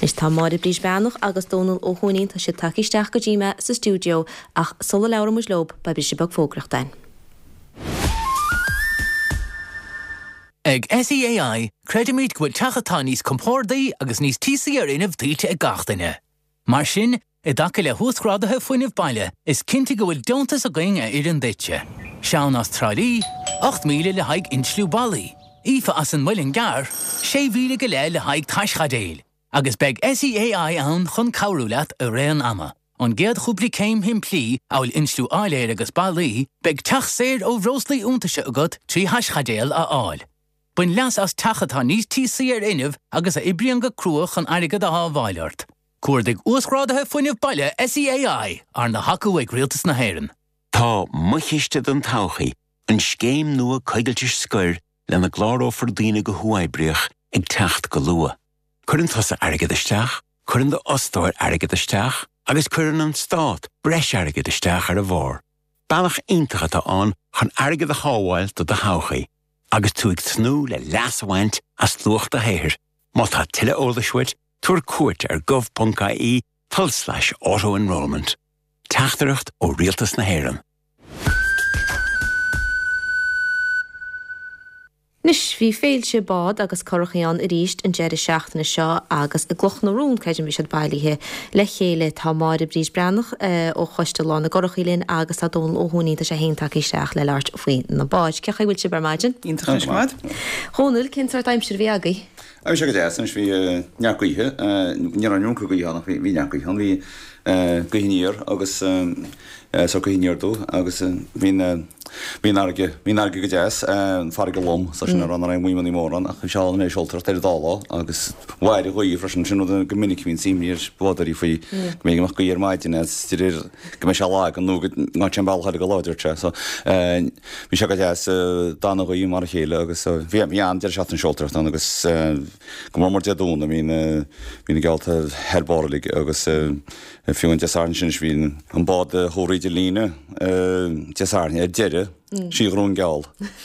Anois tá Máire Bríd Breathnach agus Dónal Ó hUaithnín, tá siad tagtha isteach go dtí mé sa stiúideo ach sula labhraíonn muid leob, beidh briseadh beag fógraíochta ann. Ag SEAI, creidimid go bhfuil teach atá níos compordaí agus níos tíosaí ar fhuinneamh tuillte ag gach duine. Mar sin, i dtaca le huasghráduithe fuinnimh baile, is cinnte go bhfuil deontas againn a oireann duitse. Seán as Trá Lí, 8,000 le haghaidh insliú ballaí, Aoife as an Muileann gCearr, 6,000 go leith le haghaidh taischaidéil. Agus beidh SEAI ann chun cabhrú leat i rith an ama. Ón gcéad chúpla céim shimplí, amhail insliú áiléir agus ballaí, beidh teach saor ó bhreoslaí iontaise agat trí thaischaidéal a fháil. Bain leas as teach atá níos tíosaí ar fhuinneamh agus a oibríonn go crua chun airgead a shábháil ort. Cuardaigh Uasghráduithe Fuinnimh Baile SEAI, arna thacú ag Rialtas na hÉireann. Tá Mo Chiste don Todhchaí, an scéim nua coigiltis scoir lena gclárófar daoine go huathoibríoch, ag teacht go luath. Cuireann tusa airgead isteach, cuireann d'fhostóir airgead isteach agus cuireann an Stát breis airgid isteach ar a bharr. Bealach iontach atá ann chun airgead a shábháil do do thodhchaí agus tú ag tnúth le leas a bhaint as luach do shaothair. Má tá tuilleadh eolais uait, tabhair cuairt ar gov.ie tulslais auto-enrolment. Teachtaireacht ó Rialtas na hÉireann. Anois, bhí féilte bád agus curachaí ann arís an deireadh seachtaine seo agus i gCloch na Rón, creidim, bhí siad bailithe le chéile. Tá Máire Bríd Breathnach ó Choiste Lá na gCurachaí linn agus tá Dónal Ó hUaithnín, tá sé féin tagtha isteach le labhairt faoi na báid. Cén chaoi a bhfuil sibh ar maidin? Iontach anois go maith. Dhónaill, cén sórt aimsir a bhí agaibh? Bhí sé go deas anois, bhí neart gaoithe, ní raibh an iomarca gaoithe ann ach bhí neart gaoithe ann, bhí gaoth aniar agus sórt gaoth aniar aduaidh agus bhí an bhí an fharraige, bhí an fharraige go deas, an farraige lom, so sin le rá nach raibh aon mhaidhmeanna móra ann ach bhí sé álainn é seoltóireacht ar an dá lá agus mhair an ghaoth freisin, sin rud go minic a bhíonn imní ar bhádóirí faoi go mbeidh go mbeadh gaoth ar maidin agus de réir go mbeidh sé lag nó go ngabhfaidh sé an bealach eile go láidir sé so bhí sé go deas d'fhan an ghaoth mar a chéile agus bhí bhí an-deireadh seachtaine seoltóireachta ann agus go mór mór Dé Domhnaigh bhí na bhí na geallta thar barr uilig agus fiú an Dé Sathairn sin bhí an bád a chuaigh thríd an líne Dé Sathairn ar deireadh sí a ghnóthaigh an geall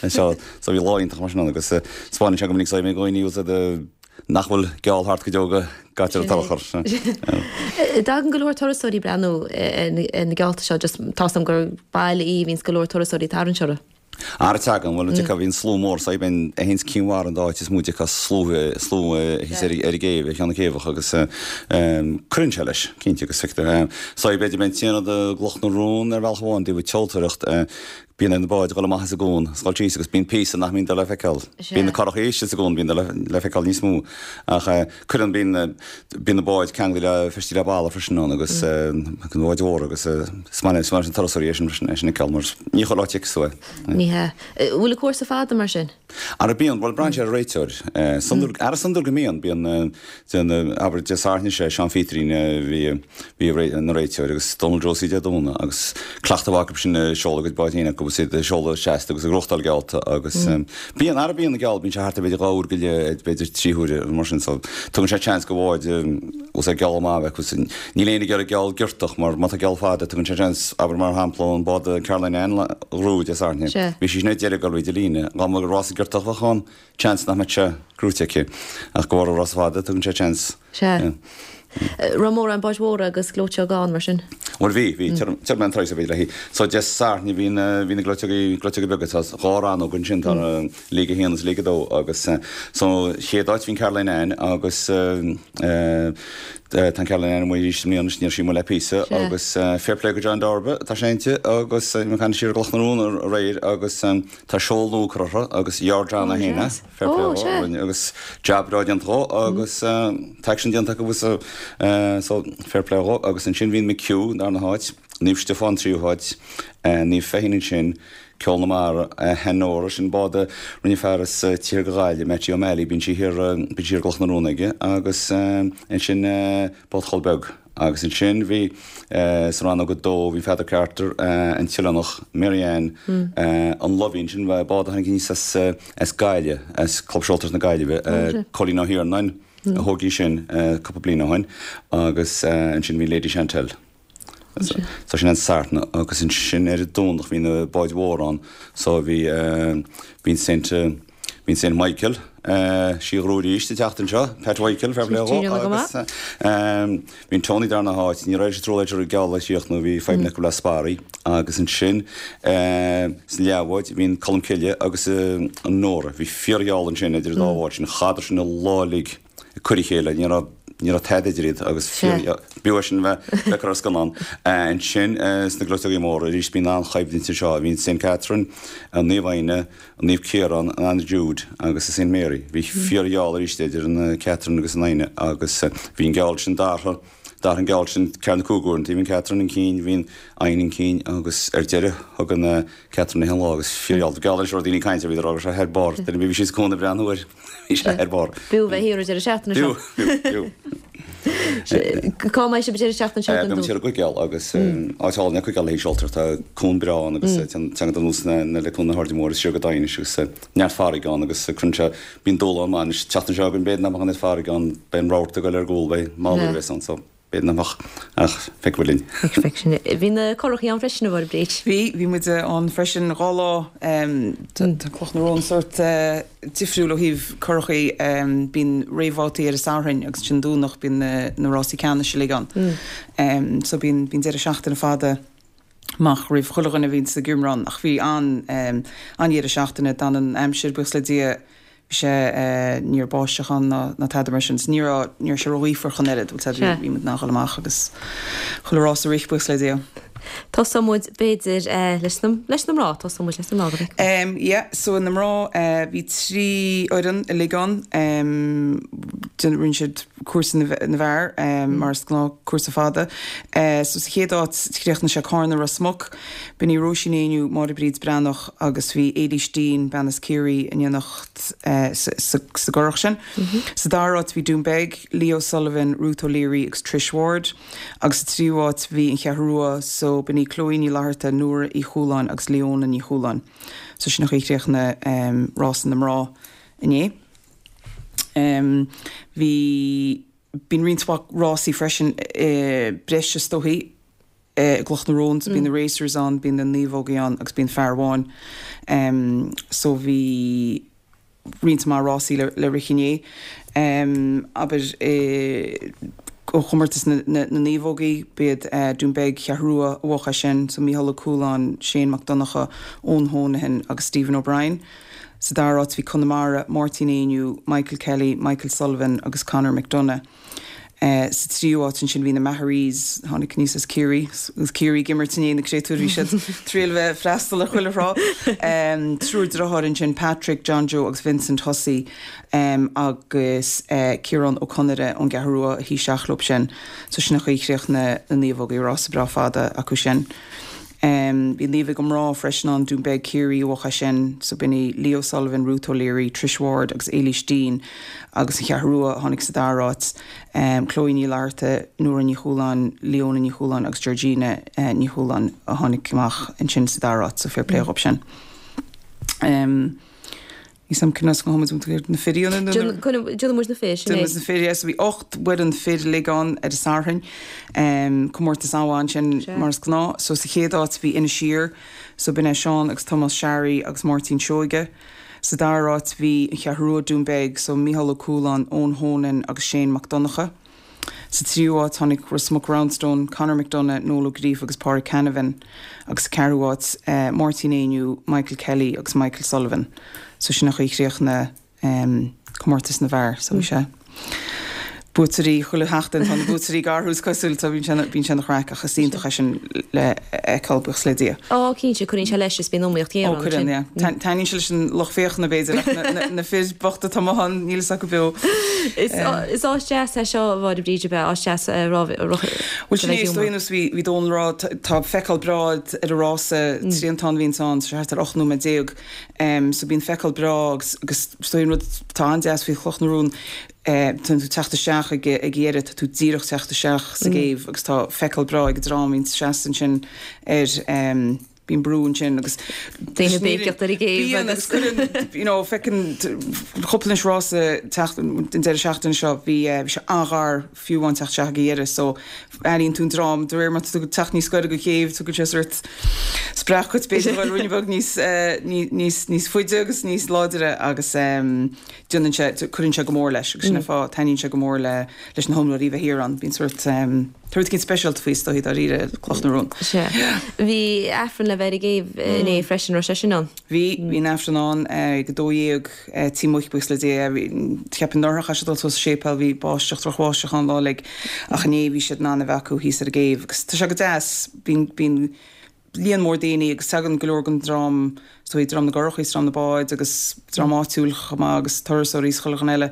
so so bhí lá iontach mar sin ann agus 'spáineann sé go minic so bhí dhaoine nach bhfuil geall thart go deo go gcaitear an t-urchar. Tagann go leor turasóirí ag breathnú ar na geallta seo, just tá's agam gur baile í a bhíonns go leor turasóirí ag tarraingt orthu. Ara tagann, bhuel an bhíonn slua mór, so bíonn a théanns Cinn Mhara an dá áit is mó de slua slua thíos ar ar an gcéibh, ar cheann na céibheach agus cuireann sé leis, cinnte agus feictear. So b'fhéidir bíonn t-aon rud i gCloch na Rón ar bhealach amháin, taobh tseoltóireacht, Bíonn ar na báid dhul amach as an gcuan, is dhul síos agus bíonn píosa nach mbíonn le feiceáil. Bíonn na curachaí istigh sa gcuan, bíonn le feiceáil níos mó. Ach cuireann, bíonn, bíonn na báid ceangailte le, feistithe le balla freisin ann agus na báid mhóra agus is maith leis na turasóirí é sin freisin, é sin a fheiceáil mar ní chuile áit a fheicfeas tú é. Ní hea. Bhfuil an cúrsa fada mar sin? Ara bíonn, bhuel braitheann sé ar an réiteoir. Ara is iondúil go mbíonn, bíonn, abair Dé Sathairn sé Seán Phíotarín a bhí, bhí ina réiteoir agus Donal Josie Dé Domhnaigh agus cleachtadh acu sin ag seoladh a gcuid báid féin acu agus iad ag seoladh seasta agus ag gnóthachtáil geallta agus bíonn, ara bíonn na geall, bíonn sé thart ar b'fhéidir dhá uair go leith, b'fhéidir trí huaire mar sin so tugann sé chance go bháid os ar geall maith a bheith acu. Níl éinne ag iarraidh geall giortach mar má tá geall fada tugann sé chance, abair mar shampla an bád Caroline Ann a ghnóthaigh Dé Sathairn, bhí sí sin ar deireadh ag dul thríd an líne, dá mba rása giortach a bheadh ann, Chance nach mbeadh sé gnóthaithe aici. Ach de bharr an rása fada, tugann sé chance. Sea. Raibh mórán báid mhóra agus gleoiteoga ann, mar sin? Bhuel, bhí, bhí. Tabharfaidh mé an turas léi. So, Dé Sathairn bhí na, bhí na gleoiteogaí, gleoiteoga beaga. Tá dhá rannóg ansin, tá League 1 agus League 2 agus so, chéad áit bhí an Caroline Ann agus tá an Caroline Ann amuigh arís i mbliana, ní raibh sí amuigh le píosa agus fair play go John Darba, tá sé inti agus bhí mé ag caint siar i gCloch na Rón aréir agus Tá seol nua curtha uirthi agus Yard John é féin é, fair play dhó, a rinne agus jab breá déanta dhó agus tá action déanta acu agus so fair play dhó agus ansin bhí an McHugh darna háit, Naomh Stiofán tríú háit, Naomh Feichín ansin, Ceol na Mara, Hanora, sin bád a rinne fear as Tír go Gaillimh, Mattie O'Malley, bíonn sí thiar, bíonn sí ar gCloch na Rón aige agus ansin Bád Chol Beag. Agus ansin bhí, sa rannóg 2, bhí Pheadar Carter, an tOileánach, Mary Ann, an Loveen, sin bád a tháinig aníos as, as Gaillimh, as Club Seoltóireachta na Gaillimhe, Cóilín Ó hIarnáin a thóg í sin cúpla bliain ó shin, agus ansin bhí Lady Chantelle. So sin an Satharn agus ansin ar an Domhnach bhí na báid mhóra ann, so bhí, bhí an Saint, bhí an Saint Michael. Sí Ghrú arís ag teacht anseo, Pat Mhichael, fair play dhó, agus bhí an Tony darna háit, ní raibh sé trúlaithe ar an gceol a chríochnú, bhí fadhbanna acu le sparraí, agus ansin san leathbhád bhí an Colmcille agus an Nóra, bhí fíorgheall ansin idir an dá bhád sin, chaitheadar sin an lá uilig ag cur a chéile, ní raibh ní raibh tada idir iad agus b'fhiú é sin bheith bheith ar scannán. Ansin sna gleoiteogaí móra arís bíonn an-choimhlint anseo, bhí an St Catherine, an Naomh Éanna, an Naomh Ciarán, an Anna Jude agus an St Mary. Bhí fíorgheall arís idir an Catherine agus an Éanna agus bhí an geall sin d'athraigh d'athraigh an geall sin ceathair nó cúig uair. Bhí an Catherine chun cinn, bhí an Éanna chun cinn agus ar deireadh thug an Catherine an lá agus fíorgheall. Geall leis raibh daoine ag caint ar bhí raibh sé thar barr. Duine bhí sí sa cónaí breathnú air. Bhí sé thar barr. B'fhiú bheith thiar an deireadh seachtaine seo. B'fhiú, b'fhiú, b'fhiú. Cá mbeidh sibh an deireadh seachtaine seo den Beidh muid thiar i gCuigéal agus áit álainn é Cuigéal le haghaidh seoltóireacht. Tá cuan breá ann agus téann anuas le Cuan na hAirde Móire siar go Daighinis agus neart farraige ann agus cuireann sé, bíonn dúshlán maith anois. An tseachtain seo chugainn b'fhéidir nach mbeadh an oiread farraige ann, beidh an rabharta ag dul ar gcúl, beidh mallú a bheas ann so. B'fhéidir nach mbeadh, ach feicfidh muid linn. Feicfidh sinn. Bhí na curachaí ann freisin, a Mháire Bríd. Bhí, bhí muid ann freisin 2 lá. Tá Cloch na Rón sórt difriúil ó thaobh curachaí. Bíonn réamhbhabhtaí ar an Satharn agus ansin Domhnach bíonn na rásaí ceannais uilig ann. So bíonn, bíonn deireadh seachtaine fada amach roimh chuile dhuine a bhíonns ag imirt ann. Ach bhí an, an-dheireadh seachtaine, d'fhan an aimsir, buíochas le Dia, Bhí sé, ní raibh báisteach ann ná ná tada mar sin. So ní raibh, ní raibh sé ró-ghaofar ach an oiread, bhuel bhí, bhí muid in ann dhul amach agus chuile rás a rith, buíochas le Dia. Tosóidh muid b'fhéidir leis na, leis na mná, tosóidh muid leis na mná go bhfeicfidh. Em yeah, so na mná bhí 3 fhoireann uilig ann, em rinne siad cúrsa na na bhfear mar is gnáth, cúrsa fada. So sa chéad áit chríochnaigh sé Cárna Ros Muc, B'in í Róisín Éinniú, Máire Bríd Breathnach agus bhí Éilís Deane, bean as Ciarraí, in éineacht sa gcurach sin. Sa dara háit bhí Dún Beag, Leo Sullivan, Ruth O'Leary agus Trish Ward agus sa tríú háit bhí An Cheathrú Rua so b'in í Chloe Ní Fhlatharta, Nóra Uí Chualáin agus Leona Ní Chualáin. So sin an chaoi a chríochnaigh rása na mná inné. Bhí bíonn roinnt mhaith rásaí freisin breise is dóichí. i gCloch na Rón so bíonn na racers ann, bíonn na naomhógaí ann agus bíonn fear amháin. So bhí roinnt mhaith rásaí le rith inné. Abair ó chomórtas na naomhógaí, b'iad Dún Beag, Cheathrú Rua a bhuaigh é sin, so Mícheál Ó Cualáin, Shane Mac Donncha, Eoin Honohan agus Stephen O'Brien. Sa dara háit bhí Conamara, Máirtín Éinniú, Michael Kelly, Michael Sullivan agus Conor McDonagh. Sa tríú háit ansin bhí na Maharees, tháinig aníos as Ciarraí, agus Ciarraí ag imirt inné, na créatúir, bhí siad triail bheith ag freastal ar chuile thrá. Triúr deartháir ansin, Patrick, John Joe agus Vincent Hussey agus Ciarán Ó Conaire ón gCeathrú Rua a shuigh isteach leo sin. So sin an chaoi a chríochnaigh na naomhógaí, rása breá fada acu sin. Bhí naomhóga mná freisin ann, Dún Beag Ciarraí a bhuaigh é sin, so b'in í Leo Sullivan, Ruth O'Leary, Trish Ward agus Éilís Deane agus an Cheathrú Rua a tháinig sa dara háit, Chloe Ní Fhlatharta, Nóra Ní Chualáin, Leona Ní Chualáin agus Georgina Ní Chualáin a tháinig amach ansin sa dara háit, so fair play dhóibh sin. Ní sam cén as go muid na fir ionann nó Déanfaidh muid na fir, sin é. Déanfaidh muid na fir, yes. Bhí 8 bhfoireann fir uilig ann ar an Satharn. Comórtas an-mhaith ansin mar is gnáth. So sa chéad áit bhí Inis Oírr, so b'in é Seán agus Tomás Sharry agus Máirtín Seoige. Sa dara háit bhí An Cheathrú Rua, Dún Beag, so Mícheál Ó Cualáin, Eoin Honan agus Shane Mac Donncha. Sa tríú háit tháinig Ros Muc Roundstone, Conor McDonagh, Noel Ó Gríofa agus Pádraig Canavan agus sa ceathrú háit Máirtín Éinniú, Michael Kelly agus Michael Sullivan. So sin an chaoi a chríochnaigh comórtas na bhfear. So bhí sé buaiteoirí chuile sheachtain, tá na buaiteoirí ag athrú is cosúil, so bíonn sé bíonn sé ina chraic ach is iontach é sin le fheiceáil, buíochas le Dia. Ó cinnte, cuireann sé leis is bíonn iomaíocht ghéar ann ansin. Ó cuireann, yeah. Taitníonn sé leis an lucht féachana b'fhéidir ach na fir bochta atá amuigh ann, níl fhios acu beo. Is áit deas é seo, a Mháire Bríd, ab ea? Áit deas a raibh Bhuel sin é, is dóigh nós bhí Dónal ag rá, tá feiceáil breá ar an rása, triantán a bhíonns ann, thart ar 18 nóiméad, so bíonn feiceáil breá agus is dóigh an rud atá an-deas faoi Chloch na Rón, tá tú ag teacht isteach ag an dheireadh, tá tú díreach teacht isteach sa gcéibh agus tá feiceáil breá ag an dream a bhíonns seasta ansin ar. Bíonn brú ansin agus. Daoine ag béicíocht ar an gcéibh Bíonn agus cuireann, you know, feiceann cúpla anois rása teacht an deireadh seachtaine seo, bhí bhí sé an-ghar fiú amháin teacht isteach ag an dheireadh so airíonn tú an dream de réir mar tá tú ag teacht níos gaire don chéibh tugann sé sórt spreacadh duit b'fhéidir dhul ruainne beag níos níos níos faide agus níos láidre agus déanann sé, cuireann sé go mór leis agus sin an fáth, taitníonn sé go mór le leis na hiomaitheoirí bheith thiar ann. Bíonn sórt, tá rud éicint speisialta faoi is dóichí dáiríre, Cloch na Rón. Sea. Bhí Aifreann le bheith ar an gcéibh inné freisin, raibh sé sin ann? Bhí, bhí an Aifreann ann ag 12:00, Tí Muic, buíochas le Dia. Bhí, cheapfainn anuraidh chaith siad dul suas sa séipéal, bhí báisteach, drochbháisteach ann lá uilig ach inné bhí siad in ann a bheith acu thíos ar an gcéibh agus tá sé go deas, bíonn, bíonn, líon mór daoine agus tagann go leor den dream, is dóigh, dream na gcurachaí is dream na báid agus dream áitiúil chomh maith agus turasóirí is chuile dhuine eile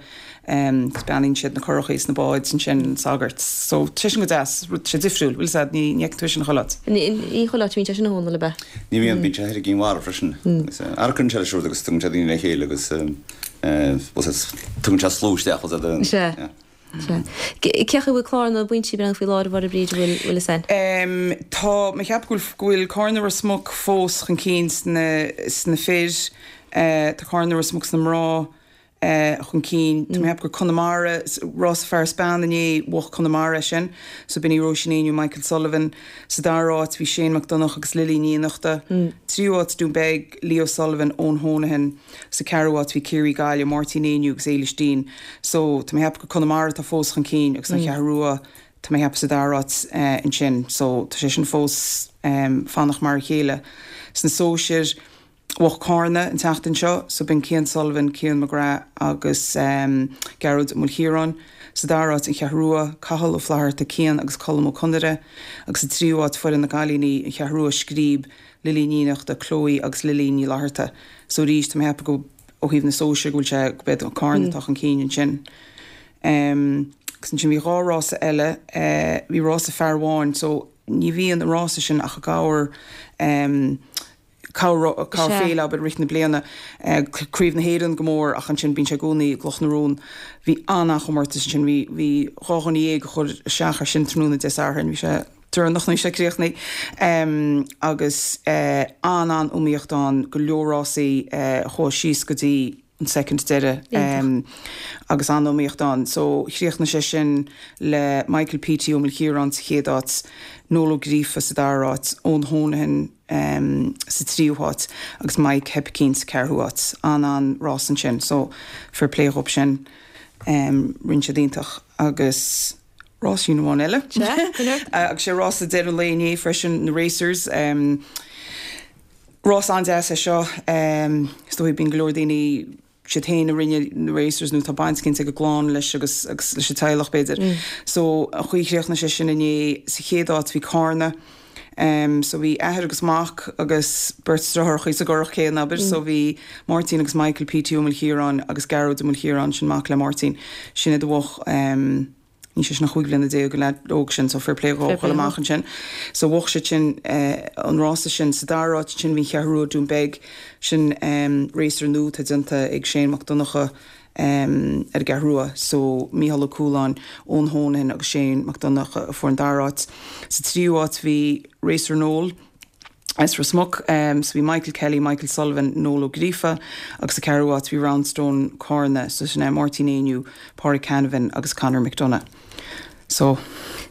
agus beannaíonn siad na curachaí is na báid ansin, an sagart. So, tá sé sin go deas, rud, sé difriúil, bhfuil 'fhios a'd, ní, ní fheiceann tú é sin chuile áit. Ní, ní chuile áit a bhíonn sé sin a Dhónaill, ab ea? Ní bhíonn, bíonn sé thoir i gCinn Mhara freisin. Agus ara cuireann sé leis an rud agus tugann sé daoine le chéile agus bhfuil 'fhios a'd, tugann sé slua isteach, bhfuil 'fhios a'd, Sea. yeah. Sea. Cé chaoi a bhfuil clár na bpointí ag breathnú faoi láthair a Mháire Bríd, an bhfuil fhios a'inn? Tá mé ag ceapadh go bhfuil, go bhfuil Cárna Ros Muc fós chun cinn sna, sna fir. Tá Cárna Ros Muc sna mná chun cinn. Tá mé ag ceapadh gur Conamara, rása fear is bean inné, bhuaigh Conamara é sin. So b'in í Róisín Éinniú, Michael Sullivan. Sa dara háit bhí Shane Mac Donncha agus Lily Ní Fhiannachta. Tríú háit Dún Beag, Leo Sullivan, Eoin Honohan. Sa ceathrú háit bhí Ciarraí Gaillimh, Máirtín Éinniú agus Éilis Deane. So, tá mé ag ceapadh gur Conamara atá fós chun cinn agus an Cheathrú Rua, tá mé ag ceapadh sa dara háit ansin. So, tá sé sin fós fanacht mar a chéile. Sna sóisir, bhuaigh Cárna an tseachtain seo, so b'in Cian Sullivan, Cian McGrath agus Gearóid Ó Maoilchiaráin. Sa dara háit, an Cheathrú Rua, Cathal Ó Flatharta, Cian agus Colm Ó Conaire. Agus sa tríú háit, foireann na gcailíní, an Cheathrú Rua, Scríb, Lily Ní Fhiannachta, Chloe agus Lily Ní Fhlatharta. So arís, tá mé ag ceapadh go, ó thaobh na sóisear, go bhfuil sé, go b'iad Cárna atá chun cinn ansin. Em, agus ansin bhí dhá rása eile, eh, bhí rása fear amháin, so ní bhíonn an rása sin ach i gcomhair, em, corr, corrfhéile, abair, i rith na bliana, eh, Craobh na hÉireann go mór ach ansin bíonn sé i gcónaí i gCloch na Rón. Bhí an-an-chomórtas ansin, bhí, bhí dhá dhuine dhéag a chuir isteach air sin tráthnóna Dé Sathairn, bhí sé, deireanach nuair a bhí sé críochnaithe agus an-an-iomaíocht ann, go leor rásaí a chuaigh síos go dtí an soicind deiridh agus an-iomaíocht ann. So chríochnaigh sé sin le Michael Petey Ó Maoilchiaráin sa chéad áit, Noel Ó Gríofa sa dara háit, Eoin Honohan sa tríú háit agus Mike Hoipicín sa ceathrú háit. An-an-rás ansin so fair play dhóibh sin, rinne siad iontach agus. Ráisín amháin eile. Agus sé rása deireadh an lae inné freisin, na Racers. Rás an-deas é seo. Is dóigh bíonn go leor daoine, siad féin a rinne na Racers nó tá baint éicint ag a gclann leis agus agus leis an teaghlach b'fhéidir. So an chaoi a chríochnaigh sé sin inné, sa chéad áit bhí Cárna. So bhí athair agus mac agus beirt deartháireachaí sa gcurach céanna abair. So bhí Máirtín agus Michael Petey Ó Maoilchiaráin agus Gearóid Ó Maoilchiaráin, sin mac le Máirtín. Sin iad a bhuaigh, níl sé sin ach 15 bliana an leaid óg sin, so fair play dhó dhul amach ansin. So bhuaigh siad sin an rása sin. Sa dara háit ansin bhí an Cheathrú Rua, Dún Beag, sin racer nua atá déanta ag Shane Mac Donncha, ar an gCeathrú Rua. So, Mícheál Ó Cualáin, Eoin Honohan agus Shane Mac Donncha a fuair an dara háit. Sa tríú háit bhí Racer Noel as Ros Muc. So bhí Michael Kelly, Michael Sullivan, Noel Ó Gríofa agus sa ceathrú háit bhí Roundstone Cárna, so sin é Máirtín Éinniú, Pádraig Canavan agus Conor McDonagh. So.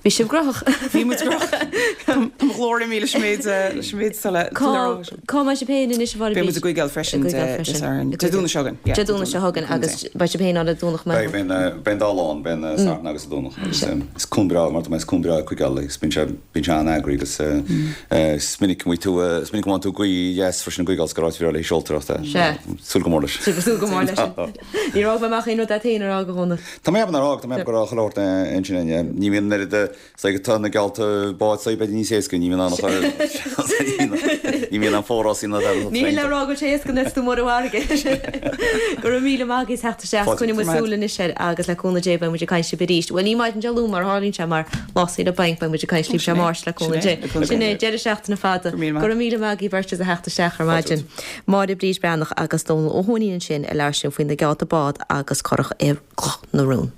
Bhí sibh graitheach. Bhí muid graitheach. Tá mo ghlór imithe leis an méid, leis an méid atá le, Cá, le rá. cá mbeidh sibh féin anois a Mháire Beidh muid i gCuigéal freisin I gCuigéal Dé freisin. Sathairn. Dé Domhnaigh seo chugainn. Yeah, Dé Domhnaigh seo chugainn agus beidh sibh féin ann ar Domhnach Beidh, beidh an, beidh an dá lá ann, beidh an Satharn agus an Domhnach agus is cuan breá, mar is cuan breá é Cuigéal agus bíonn sé, bíonn sé an-eagraithe agus is minic a bhfuil tú, is minic a bhfaigheann tú gaoth dheas freisin i gCuigéal is gur áit bhreá le haghaidh seoltóireachta. Sea. Súil go mór leis. Súil go mór leis. Níor fhág mé amach aon rud agat féin a rá, a Dhónaill. Tá mé ag ceapadh nár fhág, tá mé ag ceapadh go raibh chuile shórt ansin againn. Ní bhíonn an oiread de, say, tá na geallta báid say b'fhéidir níos éasca, ní bhíonn ann ach ní bhíonn an forás ina Ní hin le rá go bhfuil sé éasca nuair is tú amuigh ar an bhfarraige. Go raibh míle maith agaibh as theacht isteach. Coinneoidh muid súil anois air agus le cúnamh Dé beidh muid ag caint libh arís. Bhuel ní maidin Dé Luain mar a tharlaíonn sé mar lá saoire bainc beidh muid ag caint libh Dé Máirt le cúnamh Dé. Sin é, deireadh seachtaine fada. Go raibh míle maith agaibh beirt as a theacht isteach ar maidin. Máire Bríd Breathnach agus Dónal Ó hUaithnín ansin ag labhairt linn faoi na geallta bád agus curach i gCloch na Rón.